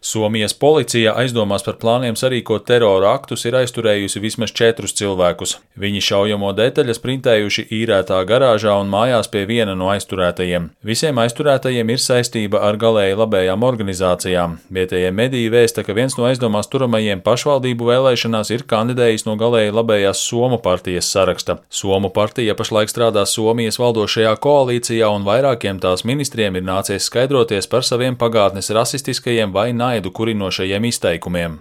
Somijas policija aizdomās par plāniem sarīkot terora aktus ir aizturējusi vismaz 4 cilvēkus. Viņi šaujamo detaļas printējuši īrētā garāžā un mājās pie viena no aizturētajiem. Visiem aizturētajiem ir saistība ar galēji labējām organizācijām. Vietējie mediji vēsta, ka viens no aizdomās turamajiem pašvaldību vēlēšanās ir kandidējis no galēji labējās Somu partijas saraksta. Somu partija pašlaik strādā Somijas valdošajā koalīcijā un vairākiem tās ministriem ir nācies skaidroties par saviem pagātnes rasistiskajiem vai naidu kurinošajiem izteikumiem.